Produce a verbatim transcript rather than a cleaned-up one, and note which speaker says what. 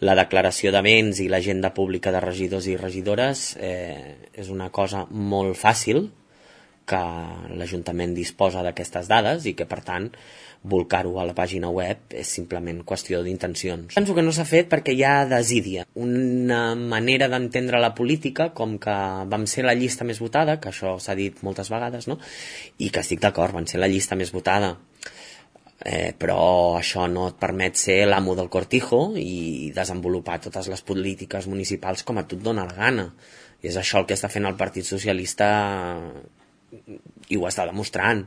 Speaker 1: La declaració de béns i l'agenda pública de regidors i regidores eh, és una cosa molt fàcil, que l'Ajuntament disposa d'aquestes dades i que, per tant, volcar-ho a la pàgina web és simplement qüestió d'intencions. Penso que no s'ha fet perquè hi ha desídia. Una manera d'entendre la política com que vam ser la llista més votada, que això s'ha dit moltes vegades, no? I que estic d'acord, van ser la llista més votada. Eh, però això no et permet ser l'amo del cortijo i desenvolupar totes les polítiques municipals com a tu et dona la gana. I és això el que està fent el Partit Socialista i ho està demostrant.